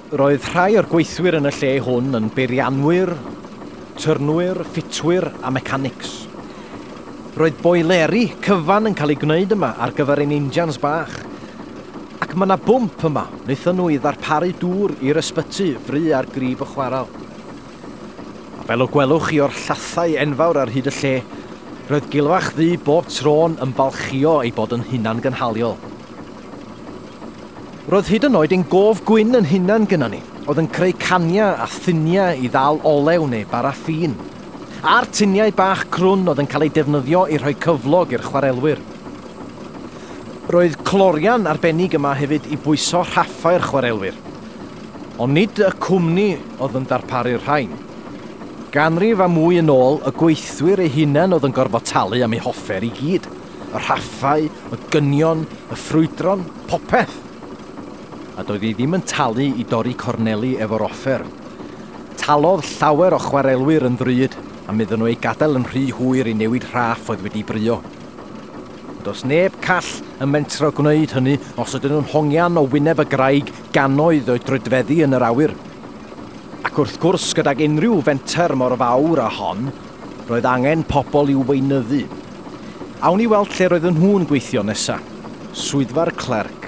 Roedd rhai o'r gweithwyr yn y lle hwn yn beirianwyr, tyrnwyr, ffitwyr a mechanics. Roedd boileri cyfan yn cael eu gwneud yma ar gyfer ein injans bach. Ac mae yna bwmp yma, wnaethon nhw i ddarparu dŵr i'r ysbyty fry ar grib y chwarel. A fel y gwelwch chi o'r llathau enfawr ar hyd y lle, roedd Gilfach Ddu bob tro'n ymfalchïo ei bod yn hunangynhaliol. Roedd hyd yn oed ein gof gwyn yn hunan gynnon ni, oedd yn creu caniau a thuniau i ddal olew neu baraffîn. A'r tuniau bach crwn oedd yn cael eu defnyddio i rhoi cyflog i'r chwarelwyr. Roedd clorian arbennig yma hefyd i bwyso rhaffau'r chwarelwyr. Ond nid y cwmni oedd yn darparu'r rhain. Ganrif a mwy yn ôl, y gweithwyr eu hunain oedd yn gorfod talu am eu hoffer i gyd. Y rhaffau, y gynion, y ffrwydron, popeth. A doedd hi ddim yn talu i dorri corneli efo'r offer. Talodd llawer o chwarelwyr yn ddrud am iddyn nhw eu gadael yn rhy hwyr i newid rhaff oedd wedi brïo. Does neb call yn mentro gwneud hynny os ydyn nhw'n hongian o wyneb y graig gannoedd o'i droedfeddi yn yr awyr. Ac wrth gwrs, gydag unrhyw fenter mor fawr â hon, roedd angen pobl i'w weinyddu. Awn i weld lle roedden nhw'n gweithio nesa. Swyddfa'r clerc.